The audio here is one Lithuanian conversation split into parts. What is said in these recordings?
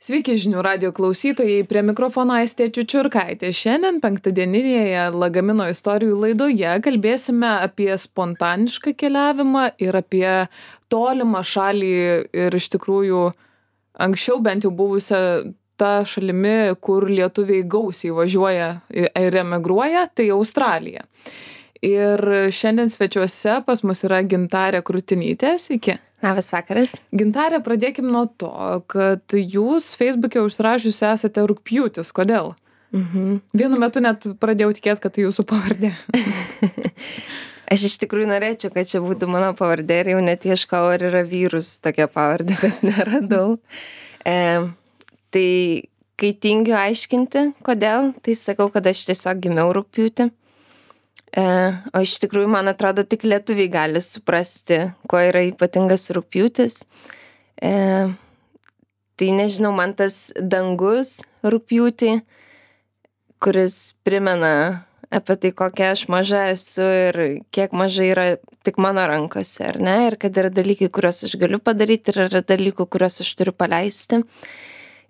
Sveiki žinių radio klausytojai, prie mikrofono Aistė Čiučiurkaitė. Šiandien penktadieninėje Lagamino istorijų laidoje kalbėsime apie spontanišką keliavimą ir apie tolimą šalį ir iš tikrųjų anksčiau bent jau buvusią tą šalimi, kur lietuviai gausiai važiuoja ir emigruoja, tai Australija. Ir šiandien svečiuose pas mus yra Gintarė Krutinytė. Sveiki. Labas vakaras. Gintarė, pradėkim nuo to, kad jūs Facebook'e užsirašiusi esate Rugpjūtis. Kodėl? Vienu metu net pradėjau tikėti, kad tai jūsų pavardė. Aš iš tikrųjų norėčiau, kad čia būtų mano pavardė ir jau net ieškau, ar yra vyrus tokia pavardė, bet neradau. Tai kai tingiu aiškinti, kodėl, tai sakau, kad aš tiesiog gimiau Rugpjūtį. O iš tikrųjų, man atrodo, tik lietuviai gali suprasti, kuo yra ypatingas Rugpjūtis. Tai nežinau, man tas dangus Rugpjūtį, kuris primena apie tai, kokia aš maža esu ir kiek mažai yra tik mano rankose, ar ne? Ir kad yra dalykai, kuriuos aš galiu padaryti ir yra dalykų, kuriuos aš turiu paleisti.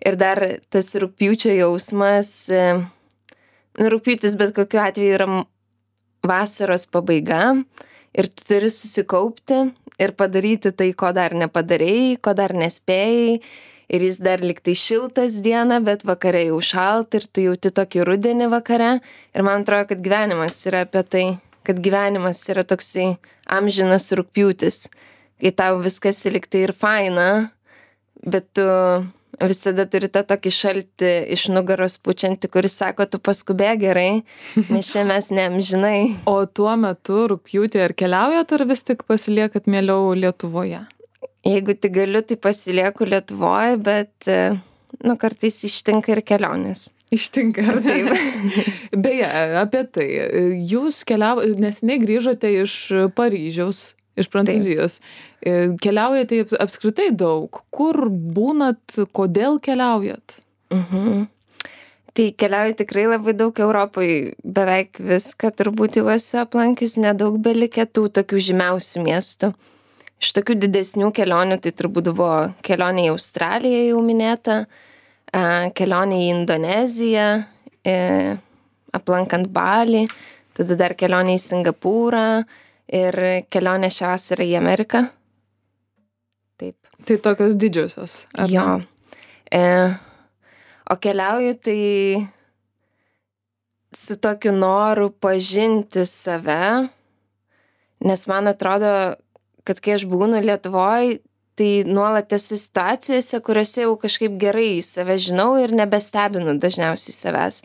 Ir dar tas Rugpjūčio jausmas, Rugpjūtis bet kokiu atveju yra vasaros pabaiga ir tu turi susikaupti ir padaryti tai, ko dar nepadarėjai, ko dar nespėjai. Ir jis dar liktai šiltas dieną, bet vakare jau šalta ir tu jauti tokį rudenį vakare. Ir man atrodo, kad gyvenimas yra apie tai, kad gyvenimas yra toksai amžinas Rugpjūtis, kai tau viskas liktai ir faina, bet tu visada turi tą tokį šaltį iš nugaros pučiantį, kuris sako, tu paskubėk gerai, nes čia mes neamžinai. O tuo metu Rugpjūtį ar keliaujat, ar vis tik pasiliekat mieliau Lietuvoje? Jeigu tik galiu, tai pasilieku Lietuvoje, bet kartais ištinka ir kelionės. Ištinka, ar taip? Beje, apie tai. Jūs neseniai grįžote iš Paryžiaus, iš Prancūzijos. Keliaujate apskritai daug. Kur būnat, kodėl keliaujat? Tai keliauju tikrai labai daug Europoje, beveik viską turbūt jau esu aplankius, nedaug belikę tų tokių žymiausių miestų. Iš tokių didesnių kelionių tai turbūt buvo kelionė į Australiją jau minėta, kelionė į Indoneziją, aplankant Balį, tada dar kelionė į Singapūrą ir kelionė šią vasarą į Ameriką. Taip. Tai tokios didžiosios, ar jo. Ne? O keliauju tai su tokiu noru pažinti save, nes man atrodo, kad kai aš būnu Lietuvoje, tai nuolat esu situacijose, kuriuose jau kažkaip gerai save žinau ir nebestebinu dažniausiai savęs.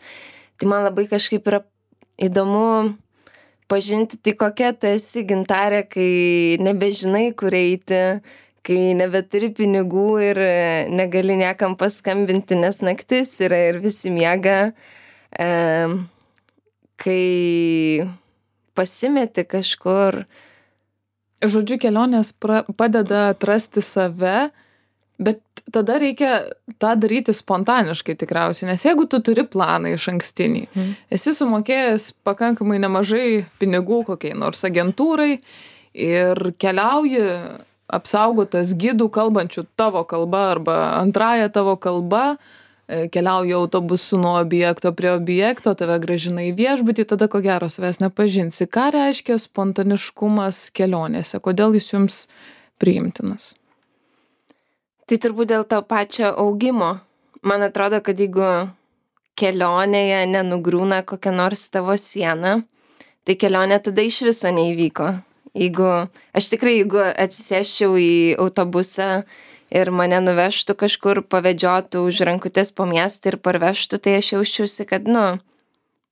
Tai man labai kažkaip yra įdomu pažinti, tai kokia tu esi, Gintarė, kai nebežinai, kur eiti, kai nebeturi pinigų ir negali niekam paskambinti, nes naktis yra ir visi miega, kai pasimeti kažkur. Žodžiu, kelionės padeda atrasti save, bet tada reikia tą daryti spontaniškai tikriausiai, nes jeigu tu turi planą iš ankstinį, esi sumokėjęs pakankamai nemažai pinigų kokiai nors agentūrai ir keliauji apsaugotas gidų kalbančių tavo kalba arba antrąją tavo kalba, keliauji autobusu nuo objekto prie objekto, tave grąžina į viešbutį, tada ko gero savęs nepažinsi. Ką reiškia spontaniškumas kelionėse? Kodėl jis jums priimtinas? Tai turbūt dėl to pačio augimo. Man atrodo, kad jeigu kelionėje nenugriūna kokia nors tavo siena, tai kelionė tada iš viso neįvyko. Jeigu atsisėsčiau į autobusą ir mane nuvežtų kažkur, pavedžiotų už rankutės po miestą ir parvežtų, tai aš jausčiausi, kad,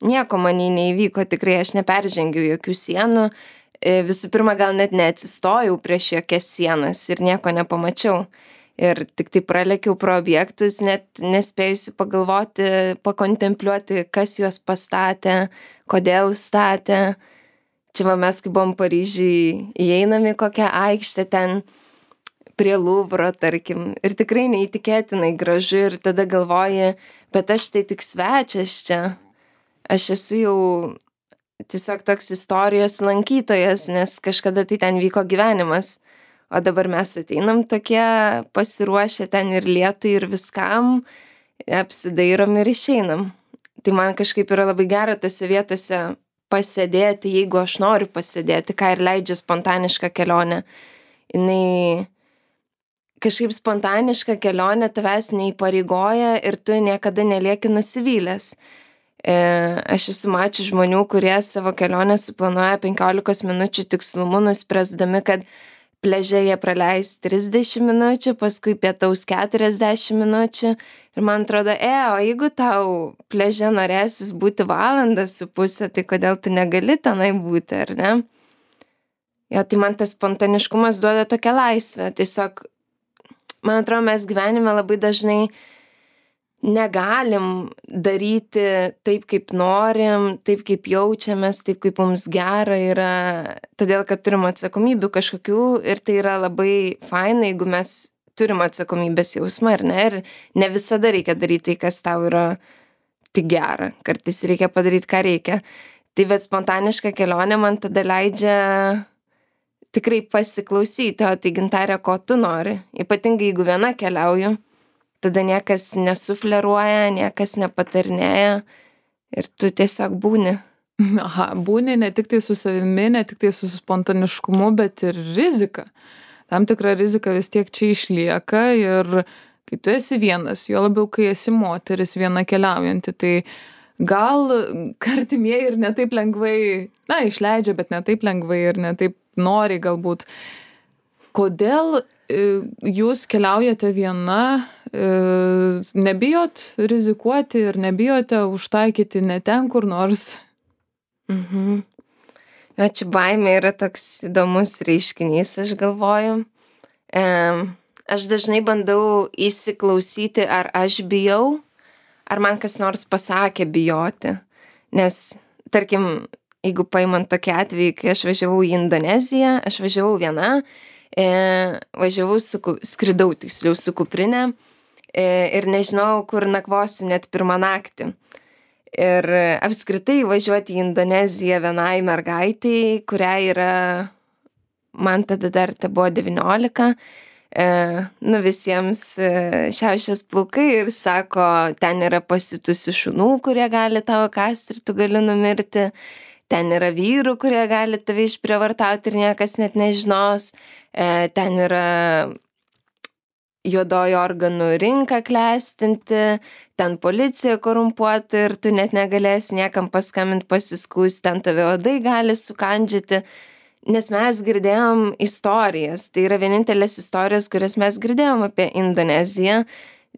nieko manį neįvyko, tikrai aš neperžengiau jokių sienų. Visų pirma, gal net neatsistojau prieš jokias sienas ir nieko nepamačiau. Ir tik tai pralekiau pro objektus, net nespėjusi pagalvoti, pakontempliuoti, kas juos pastatė, kodėl statė. Čia mes, kai buvom Paryžiui, įeinam į kokią aikštę ten, prie Luvro, tarkim, ir tikrai neįtikėtinai gražu ir tada galvoji, bet aš tai tik svečias čia. Aš esu jau tiesiog toks istorijos lankytojas, nes kažkada tai ten vyko gyvenimas. o dabar mes ateinam tokie pasiruošę ten ir lietui, ir viskam, apsidairom ir išeinam. Tai man kažkaip yra labai gera tose vietose pasėdėti, jeigu aš noriu pasėdėti, ką ir leidžia spontaniška kelionė. Jinai kažkaip spontaniška kelionė tavęs neįpareigoja ir tu niekada nelieki nusivylęs. Aš esu mačius žmonių, kurie savo kelionę suplanuoja 15 minučių tikslumu, nuspręsdami, kad pliaže jie praleis 30 minučių, paskui pietaus 40 minučių. Ir man atrodo, o jeigu tau pliaže norėsis būti 1.5 valandą, tai kodėl tu negali tenai būti, ar ne? Jo, tai man tas spontaniškumas duoda tokią laisvę. Tiesiog, man atrodo, mes gyvenime labai dažnai negalim daryti taip, kaip norim, taip, kaip jaučiamės, taip, kaip mums gera yra, todėl, kad turim atsakomybių kažkokių ir tai yra labai faina, jeigu mes turim atsakomybės jausmą, ar ne? Ir ne visada reikia daryti tai, kas tau yra tik gera. Kartais reikia padaryti, ką reikia. Tai bet spontaniška kelionė man tada leidžia tikrai pasiklausyti, o tai Gintarė, ko tu nori. Ypatingai, jeigu viena keliauju, tada niekas nesufleruoja, niekas nepatarinėja ir tu tiesiog būni. Aha, būni ne tik tai su savimi, ne tik tai su spontaniškumu, bet ir rizika. Tam tikra rizika vis tiek čia išlieka ir kai tu esi vienas, jo labiau, kai esi moteris viena keliaujanti, tai gal artimieji ir ne taip lengvai, išleidžia, bet ne taip lengvai ir ne taip nori galbūt. Kodėl jūs keliaujate viena, nebijot rizikuoti ir nebijote užtaikyti ne ten kur nors? Jo, čia baimė yra toks įdomus reiškinys, aš galvoju. Aš dažnai bandau įsiklausyti, ar aš bijau, ar man kas nors pasakė bijoti. Nes, tarkim, jeigu paimant tokį atvejį, kai aš važiavau į Indoneziją, aš važiavau viena, skridau tiksliau su kuprinė ir nežinau, kur nakvosiu net pirmą naktį. Ir apskritai važiuoti į Indoneziją vienai mergaitai, kuriai yra, man tada dar tai buvo 19, visiems šiaušės plaukai ir sako, ten yra pasiutusių šunų, kurie gali tavo kasti ir tu gali numirti. Ten yra vyrų, kurie gali tave išprievartauti ir niekas net nežinos. Ten yra juodoji organų rinka klestinti, ten policija korumpuota ir tu net negalėsi niekam paskambinti pasiskųsti, ten tave odai gali sukandžioti. Nes mes girdėjom istorijas, tai yra vienintelės istorijos, kurias mes girdėjom apie Indoneziją.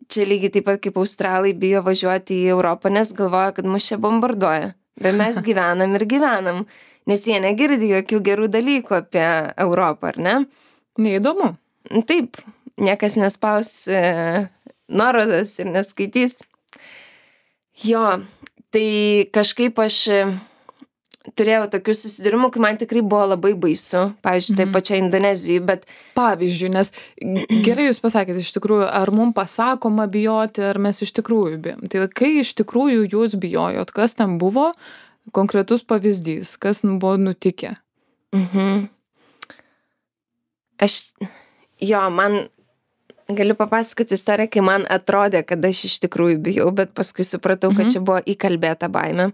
Čia lygiai taip pat kaip australai bijo važiuoti į Europą, nes galvoja, kad mus čia bombarduoja. Bet mes gyvenam ir gyvenam, nes jie negirdi jokių gerų dalykų apie Europą, ar ne? Neįdomu. Taip, niekas nespaus nuorodas ir neskaitys. Jo, tai kažkaip aš turėjau tokių susidūrimų, kai man tikrai buvo labai baisu, pavyzdžiui, taip pačiai Indonezijai, bet... Pavyzdžiui, nes gerai jūs pasakėte, iš tikrųjų, ar mums pasakoma bijoti, ar mes iš tikrųjų bijom. Tai kai iš tikrųjų jūs bijojot, kas ten buvo, konkretus pavyzdys, kas buvo nutikę? Man galiu papasakoti istoriją, kai man atrodė, kad aš iš tikrųjų bijau, bet paskui supratau, kad čia buvo įkalbėta baimė.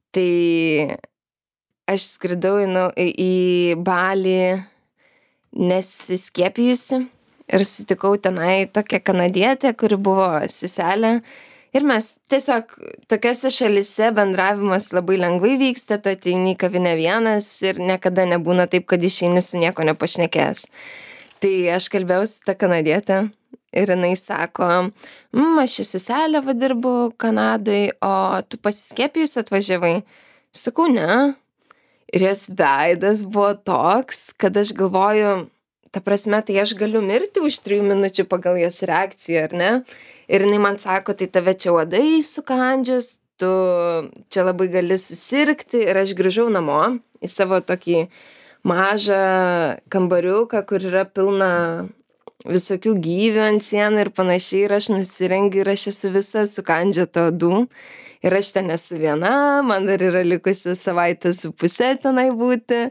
Tai aš skridau į Balį nesiskiepijusi ir sutikau tenai tokią kanadietę, kuri buvo seselė. Ir mes tiesiog tokiose šalyse bendravimas labai lengvai vyksta, tu ateini į kavinę vienas ir niekada nebūna taip, kad išeini su nieko nepašnekės. Tai aš kalbėjau su ta kanadietė ir jinai sako, aš į seselę dirbu Kanadai, o tu pasiskiepijus atvažiavai? Sakau, ne. Ir jos veidas buvo toks, kad aš galvoju, ta prasme, tai aš galiu mirti už 3 minučių pagal jos reakciją, ar ne? Ir jinai man sako, tai tave čia uodai sukandžius, tu čia labai gali susirgti. Ir aš grįžau namo į savo tokį mažą kambariuką, kur yra pilna visokių gyvių ant sienų ir panašiai, ir aš nusirengiu ir aš esu visa sukandžiota odų. Ir aš ten esu viena, man dar yra likusi 1,5 savaitės tenai būti.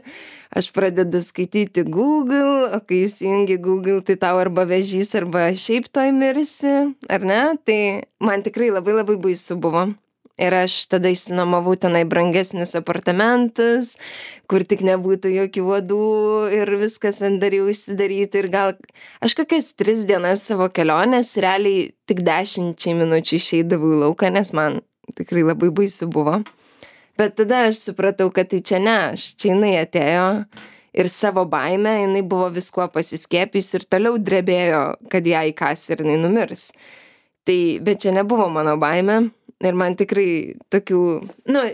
Aš pradedu skaityti Google, o kai įsijungi Google, tai tau arba vėžys, arba šiaip toj mirsi, ar ne? Tai man tikrai labai labai baisu buvo. Ir aš tada išsinuomavau tenai brangesnius apartamentus, kur tik nebūtų jokių uodų ir viskas dar jau išsidaryti. Ir gal aš kokias 3 dienas savo kelionės realiai tik 10 minučių išeidavau į lauką, nes man tikrai labai baisu buvo. Bet tada aš supratau, kad tai čia ne aš, čia jinai atėjo ir savo baimę, jinai buvo viskuo pasiskiepys ir toliau drebėjo, kad ją įkas ir jinai numirs. Tai, bet čia nebuvo mano baimė. Ir man tikrai tokių,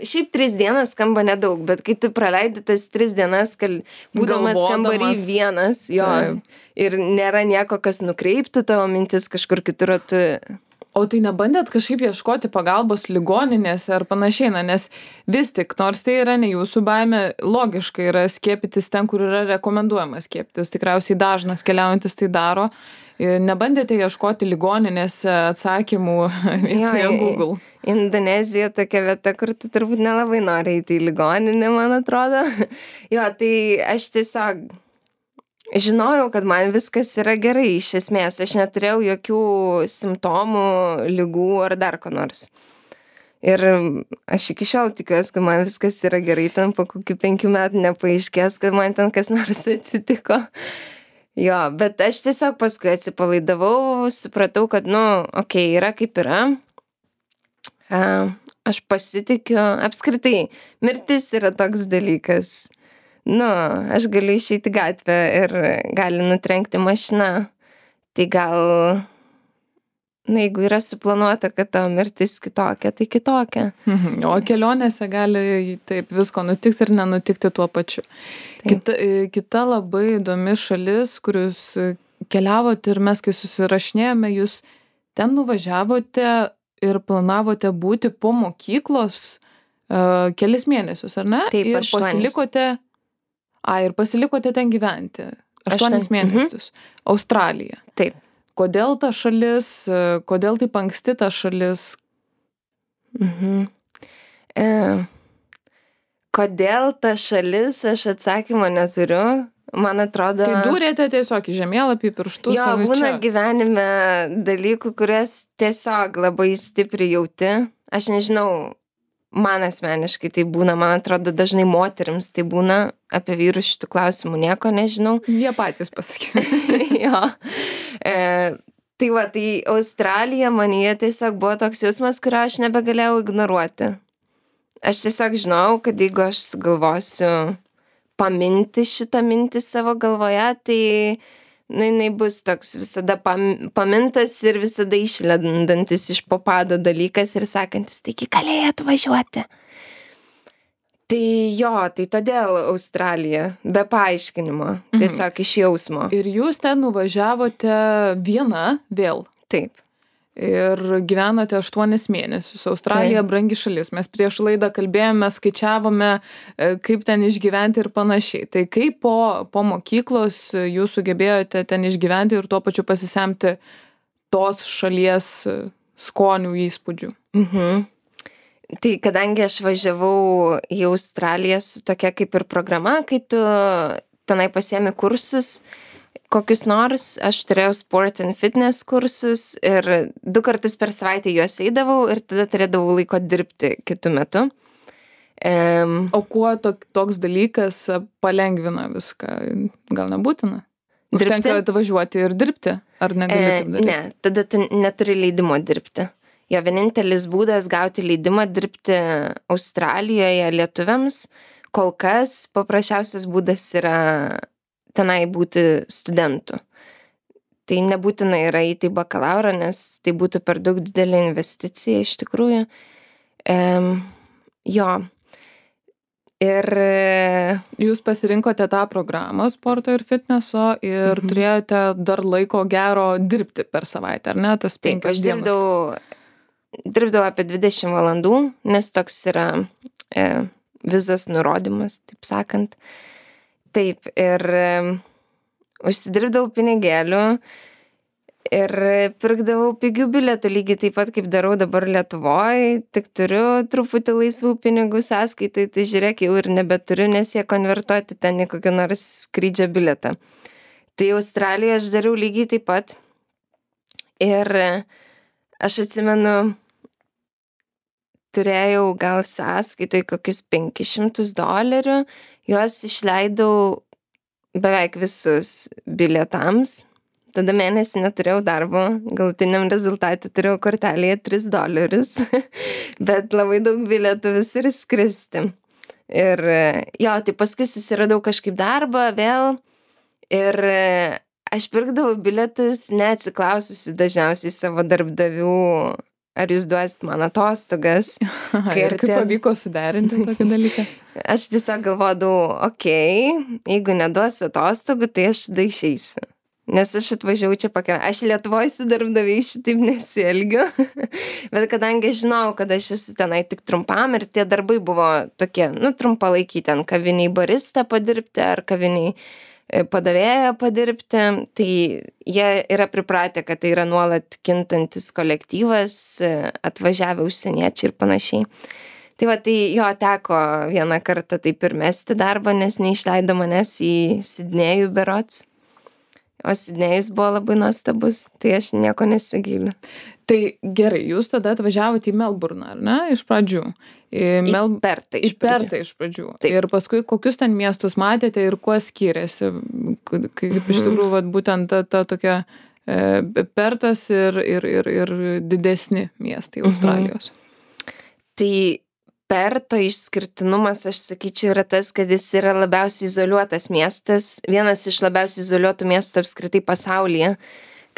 šiaip 3 dienas skamba nedaug, bet kai tu praleidi tas 3 dienas, būdamas kambarį vienas, jo, ir nėra nieko, kas nukreiptų tavo mintis kažkur kitur, tu... O tai nebandėt kažkaip ieškoti pagalbos ligoninėse ar panašiai, nes vis tik, nors tai yra ne jūsų baimė, logiškai yra skiepytis ten, kur yra rekomenduojama skiepytis. Tikriausiai dažnas keliaujantis tai daro. Nebandėte ieškoti ligoninėse atsakymų vietoje Google? Indonezija tokia vieta, kur tu turbūt nelabai nori eiti į ligoninę, man atrodo. Jo, tai aš tiesiog žinojau, kad man viskas yra gerai iš esmės. Aš neturėjau jokių simptomų, ligų ar dar ko nors. Ir aš iki šiol tikiuosi, kad man viskas yra gerai, ten po kokių 5 metų nepaaiškės, kad man ten kas nors atsitiko. Jo, bet aš tiesiog paskui atsipalaidavau, supratau, kad, yra kaip yra. Aš pasitikiu, apskritai, mirtis yra toks dalykas. Aš galiu išeiti į gatvę ir gali nutrenkti mašiną. Tai gal, jeigu yra suplanuota, kad tavo mirtis kitokia, tai kitokia. O kelionėse gali taip visko nutikti ir nenutikti tuo pačiu. Kita labai įdomi šalis, kur jūs keliavote ir mes, kai susirašinėjome, jūs ten nuvažiavote ir planavote būti po mokyklos kelis mėnesius, ar ne? Taip, ir 8. Pasilikote ten gyventi. 8 mėnesius. Australija. Taip. Kodėl ta šalis, kodėl taip anksti ta šalis? Kodėl ta šalis, aš atsakymo neturiu. Man atrodo... Tai dūrėte tiesiog į žemėlapį pirštus. Jo, būna gyvenime dalykų, kurias tiesiog labai stipriai jauti. Aš nežinau, man asmeniškai tai būna, man atrodo, dažnai moterims tai būna, apie vyrus šitų klausimų nieko nežinau. Jie patys pasakė. Jo. Tai Australija manyje tiesiog buvo toks jausmas, kurio aš nebegalėjau ignoruoti. Aš tiesiog žinau, kad jeigu aš sugalvosiu paminti šitą mintį savo galvoje, tai jinai bus toks visada pamintas ir visada išlendantis iš po pado dalykas ir sakantis, taigi galėjai atvažiuoti. Tai jo, tai todėl Australija, be paaiškinimo, tiesiog iš jausmo. Ir jūs ten nuvažiavote viena vėl? Taip. Ir gyvenote 8 mėnesius. Australija brangi šalis. Mes prieš laidą kalbėjome, skaičiavome, kaip ten išgyventi ir panašiai. Tai kaip po mokyklos jūs sugebėjote ten išgyventi ir tuo pačiu pasisemti tos šalies skonių įspūdžių? Tai kadangi aš važiavau į Australiją su tokia kaip ir programa, kai tu tenai pasiemi kursus, kokius nors, aš turėjau sport and fitness kursus ir 2 kartus per savaitę juos eidavau ir tada turėdavau laiko dirbti kitu metu. O kuo toks dalykas palengvina viską? Gal nebūtina? Užtenka atvažiuoti ir dirbti? Ar negali taip daryti? Ne, tada tu neturi leidimo dirbti. Jo vienintelis būdas gauti leidimą dirbti Australijoje lietuviams, kol kas paprasčiausias būdas yra tenai būti studentu. Tai nebūtina yra įti bakalaurą, nes tai būtų per daug didelė investicija iš tikrųjų. Jo. Ir jūs pasirinkote tą programą sporto ir fitneso ir turėjote dar laiko gero dirbti per savaitę, ar ne? Tas 5 dienas. Aš dirbdavau apie 20 valandų, nes toks yra vizos nurodymas, taip sakant. Taip, ir užsidirbdavau pinigėlių ir pirkdavau pigių bilietų, lygiai taip pat, kaip darau dabar Lietuvoje, tik turiu truputį laisvų pinigų sąskaitai, tai žiūrėk, jau ir nebeturiu, nes jie konvertuoti ten į kokį nors skrydžio bilietą. Tai Australijoje aš dariau lygiai taip pat ir aš atsimenu, turėjau gal sąskaitai kokius $500, juos išleidau beveik visus bilietams. Tada mėnesį neturėjau darbo, galutiniam rezultatui turėjau kortelėje $3, bet labai daug bilietų visur skristi. Ir jo, tai paskui susiradau kažkaip darbą vėl ir aš pirkdavau bilietus neatsiklaususi dažniausiai savo darbdavių, ar jūs duosit man atostogas. Ir kaip pavyko suderinti tokį dalyką? Aš tiesiog galvodavau, jeigu neduos atostogų, tai aš tada išeisiu. Nes aš atvažiavau čia aš Lietuvoje su darbdaviais šitaip nesielgiu. Bet kadangi žinau, kad aš esu tenai tik trumpam ir tie darbai buvo tokie, trumpalaikiai, ten kaviniai barista padirbti ar kaviniai padavėją padirbti, tai jie yra pripratę, kad tai yra nuolat kintantis kolektyvas, atvažiavę užsieniečiai ir panašiai. Tai va, tai jo teko vieną kartą taip ir mesti darbą, nes neišleido manęs į Sidnėjų berods. O Sidnėjus buvo labai nuostabus, tai aš nieko nesigailiu. Tai gerai, jūs tada atvažiavote į Melburną, ar ne, iš pradžių? Į Pertą iš pradžių. Taip. Ir paskui kokius ten miestus matėte ir kuo skiriasi, kaip iš tikrųjų vat, būtent ta tokia Pertas ir didesni miestai Australijos. Tai Perto išskirtinumas, aš sakyčiau, yra tas, kad jis yra labiausiai izoliuotas miestas, vienas iš labiausiai izoliuotų miestų apskritai pasaulyje.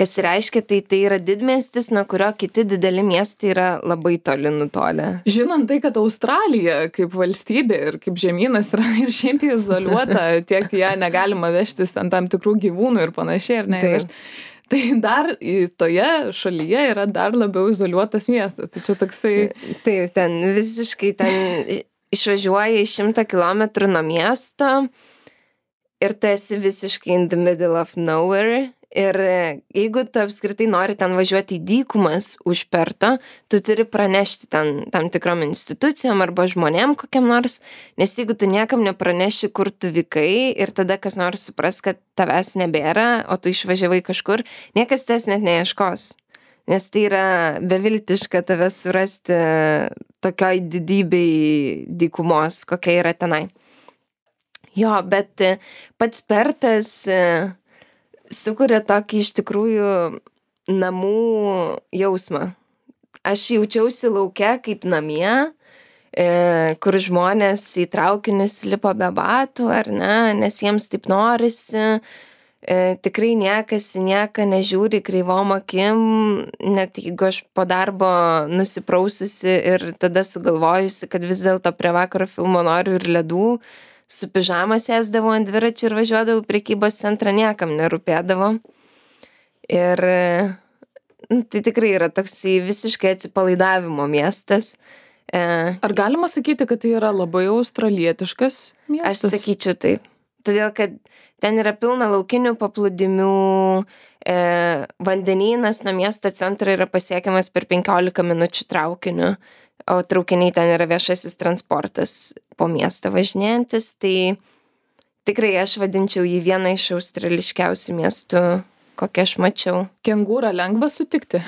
Kas reiškia, tai yra didmiestis, nuo kurio kiti dideli miestai yra labai toli nutolę. Žinant tai, kad Australija kaip valstybė ir kaip žemynas yra ir šiaip izoliuota, tiek ją negalima vežtis ten tam tikrų gyvūnų ir panašiai, ar ne? Tai dar toje šalyje yra dar labiau izoliuotas miestas. Tai čia toksai... Taip, ten visiškai išvažiuoja 100 kilometrų nuo miesto ir tu esi visiškai in the middle of nowhere. Ir jeigu tu apskritai nori ten važiuoti į dykumas už Perto, tu turi pranešti ten tam tikrom institucijom arba žmonėm kokiam nors, nes jeigu tu niekam nepraneši, kur tu vykai ir tada kas nors supras, kad tavęs nebėra, o tu išvažiavai kažkur, niekas tavęs net neieškos. Nes tai yra beviltiška tave surasti tokioj didybei dykumos, kokia yra tenai. Jo, bet pats Pertas sukuria tokį iš tikrųjų namų jausmą. Aš jaučiausi lauke kaip namie, kur žmonės į traukinius lipo be batų, ar ne, nes jiems taip norisi. Tikrai niekas į nieką nežiūri kreivom akim, net jeigu aš po darbo nusipraususi ir tada sugalvojusi, kad vis dėlto prie vakaro filmo noriu ir ledų, su pižama sėsdavau ant dviračių ir važiuodavau prekybos centrą, niekam nerūpėdavo. Ir tai tikrai yra toksai visiškai atsipalaidavimo miestas. Ar galima sakyti, kad tai yra labai australietiškas miestas? Aš sakyčiau taip. Todėl, kad ten yra pilna laukinių paplūdimių, vandenynas nuo miesto centro yra pasiekiamas per 15 minučių traukiniu. O traukiniai ten yra viešasis transportas po miestą važinėjantis, tai tikrai aš vadinčiau jį vieną iš australiškiausių miestų, kokią aš mačiau. Kengūrą lengva sutikti?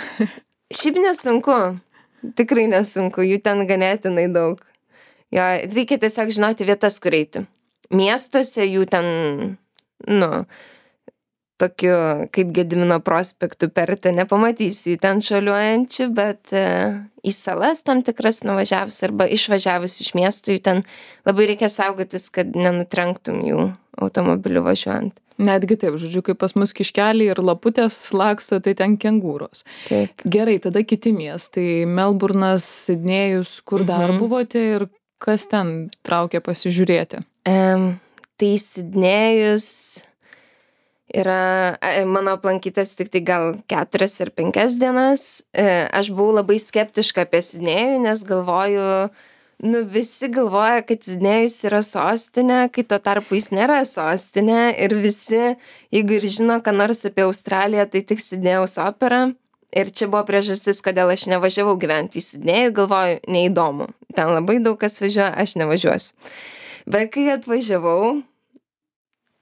Šiaip nesunku, tikrai nesunku, jų ten ganėtinai daug. Jo, reikia tiesiog žinoti vietas, kur eiti. Miestuose jų ten, tokiu kaip Gedimino prospektu Perte nepamatysi jų ten šuoliuojančių, bet į salas tam tikras nuvažiavus arba išvažiavus iš miestų, jų ten labai reikia saugotis, kad nenutrenktum jų automobiliu važiuojant. Netgi taip, žodžiu, kaip pas mus kiškeliai ir laputės laksto, tai ten kengūros. Taip. Gerai, tada kiti miestai. Melburnas, Sidnėjus, kur dar buvote ir kas ten traukia pasižiūrėti? Tai Sidnėjus yra mano aplankytas tik tai gal 4 ar 5 dienas. Aš buvau labai skeptiška apie Sidnėjų, nes galvoju, Nu, visi galvoja, kad Sidnėjus yra sostinė, kai tuo tarpu jis nėra sostinė ir visi, jeigu ir žino, ką nors apie Australiją, tai tik Sidnėjaus opera. Ir čia buvo priežastis, kodėl aš nevažiavau gyventi į Sidnėjų, galvoju, neįdomu. Ten labai daug kas važiuoja, aš nevažiuosiu. Bet kai atvažiavau,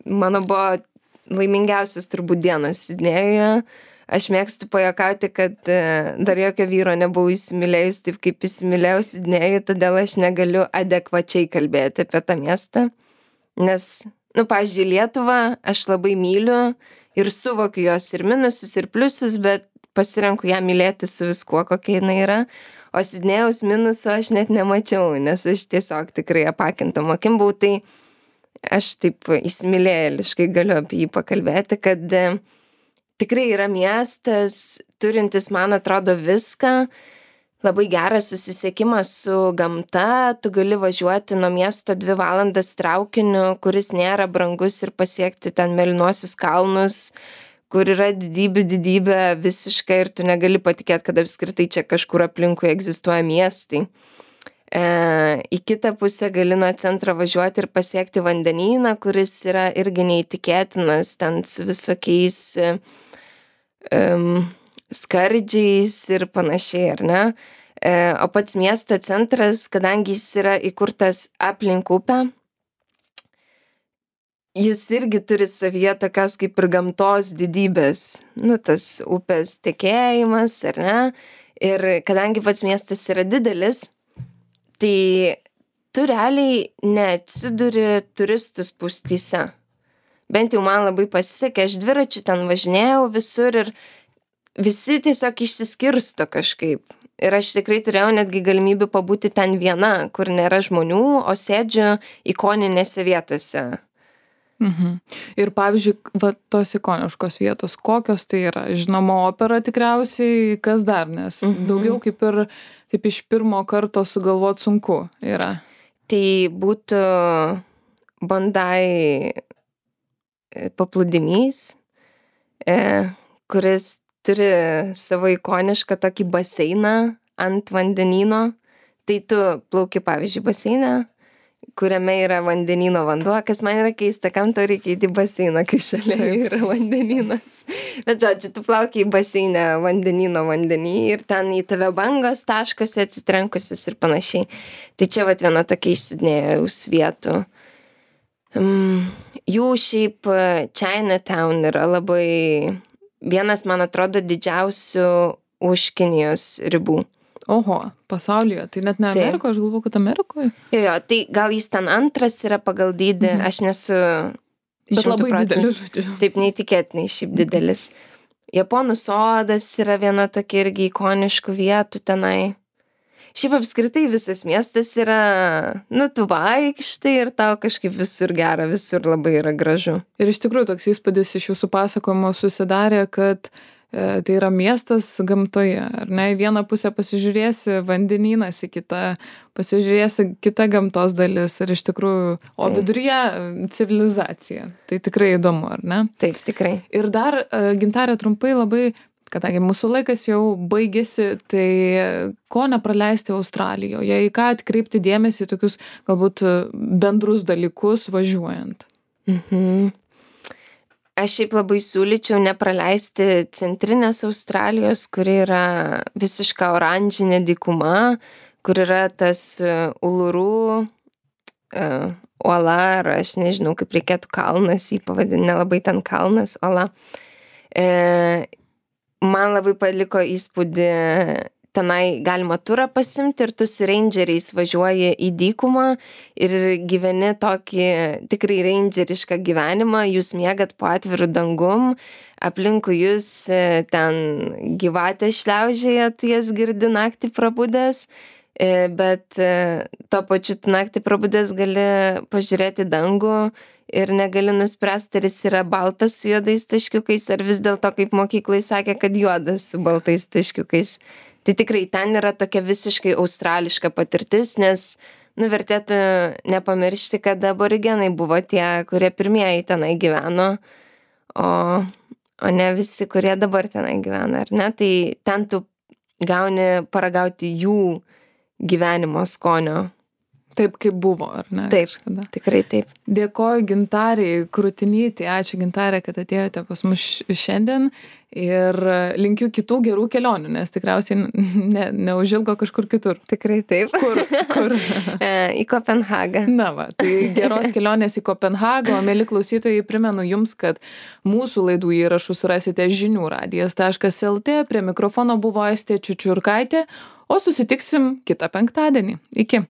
mano buvo laimingiausias turbūt dienos Sidnėjuje. Aš mėgstu pajuokauti, kad dar jokio vyro nebuvau įsimylėjus taip, kaip įsimylėjau Sidnėjų, todėl aš negaliu adekvačiai kalbėti apie tą miestą. Nes, pavyzdžiui, Lietuvą aš labai myliu ir suvokiu jos ir minusus, ir pliusus, bet pasirenku ją mylėti su viskuo, kokia jinai yra. O Sidnėjaus minusų aš net nemačiau, nes aš tiesiog tikrai apakintom akim buvau, tai aš taip įsimylėjėliškai galiu apie jį pakalbėti, kad tikrai yra miestas, turintis, man atrodo, viską, labai geras susisiekimas su gamta, tu gali važiuoti nuo miesto 2 valandas traukiniu, kuris nėra brangus ir pasiekti ten Mėlynuosius kalnus, kur yra didybė visiškai ir tu negali patikėti, kad apskritai čia kažkur aplinkui egzistuoja miestai. Į kitą pusę gali nuo centro važiuoti ir pasiekti vandenyną, kuris yra irgi neįtikėtinas, ten su visokiais skardžiais ir panašiai, ar ne? O pats miesto centras, kadangi jis yra įkurtas aplink upę, jis irgi turi savyje tokios kaip ir gamtos didybės, tas upės tekėjimas, ar ne? Ir kadangi pats miestas yra didelis, tai tu realiai neatsiduri turistų spūstyse. Bent jau man labai pasisekė, aš dviračiu ten važinėjau visur ir visi tiesiog išsiskirsto kažkaip. Ir aš tikrai turėjau netgi galimybę pabūti ten viena, kur nėra žmonių, o sėdžiu ikoninėse vietose. Ir pavyzdžiui, tos ikoniškos vietos, kokios tai yra? Žinoma, opera tikriausiai, kas dar, nes daugiau kaip ir taip iš pirmo karto sugalvot sunku yra. Tai būtų Bondi paplūdimys, kuris turi savo ikonišką tokį baseiną ant vandenyno. Tai tu plauki, pavyzdžiui, baseiną, kuriame yra vandenyno vanduo, kas man yra keista, kam to reikia į baseiną, kai šalia yra vandenynas. Bet žodžiu, tu plauki į baseinę vandenyno vandenį ir ten į tave bangos taškosi atsitrenkusius ir panašiai. Tai čia viena tokia iš Sidnėjaus vietų. Jų šiaip Chinatown yra labai vienas, man atrodo, didžiausių už Kinijos ribų. Oho, pasaulyje, tai net ne Amerikoje, aš galvoju, kad Amerikoje. Jo, tai gal jis ten antras yra pagal dydį, aš nesu 100%. Bet labai didelis, žodžiu. Taip, neįtikėtinai šiaip didelis. Japonų sodas yra viena tokia irgi ikoniškų vietų tenai. Šiaip apskritai visas miestas yra, tu vaikštai ir tau kažkaip visur gera, visur labai yra gražu. Ir iš tikrųjų toks įspūdis iš jūsų pasakojimo susidarė, kad tai yra miestas gamtoje, ar ne? Į vieną pusę pasižiūrėsi vandenynas, į kitą pasižiūrėsi kita gamtos dalis ir iš tikrųjų, o viduryje civilizacija. Tai tikrai įdomu, ar ne? Taip, tikrai. Ir dar, Gintarė, trumpai labai, kadangi mūsų laikas jau baigėsi, tai ko nepraleisti Australijoje, į ką atkreipti dėmesį į tokius galbūt bendrus dalykus važiuojant? Aš šiaip labai siūlyčiau nepraleisti centrinės Australijos, kuri yra visiška oranžinė dykuma, kur yra tas Uluru uola, ar aš nežinau, kaip reikėtų kalnas, jį pavadinti, nelabai ten kalnas, uola. Man labai paliko įspūdį, tenai galima turą pasimti ir tu su rangeriais važiuoji į dykumą ir gyveni tokį tikrai rangerišką gyvenimą, jūs miegat po atviru dangum, aplinkui jūs ten gyvatė šliaužėja, tu jas girdi naktį prabudęs, bet tuo pačiu naktį prabudęs gali pažiūrėti dangų ir negali nuspręsti, ar jis yra baltas su juodais taškiukais, ar vis dėlto, kaip mokyklai sakė, kad juodas su baltais taškiukais. Tai tikrai ten yra tokia visiškai australiška patirtis, nes vertėtų nepamiršti, kad aborigenai buvo tie, kurie pirmieji tenai gyveno, o ne visi, kurie dabar tenai gyvena, ar ne? Tai ten tu gauni paragauti jų gyvenimo skonio. Taip, kaip buvo, ar ne? Taip, kažkada. tikrai taip. Dėkoju Gintarei Krutinytei, ačiū Gintarė, kad atėjote pas mus šiandien ir linkiu kitų gerų kelionių, nes tikriausiai neužilgo kažkur kitur. Tikrai taip. Kur? Į Kopenhagą. Na va, tai geros kelionės į Kopenhagą, o mėly klausytojai, primenu jums, kad mūsų laidų įrašus rasite žiniųradijas.lt, prie mikrofono buvo Aistė Čiučiurkaitė, o susitiksim kitą penktadienį. Iki.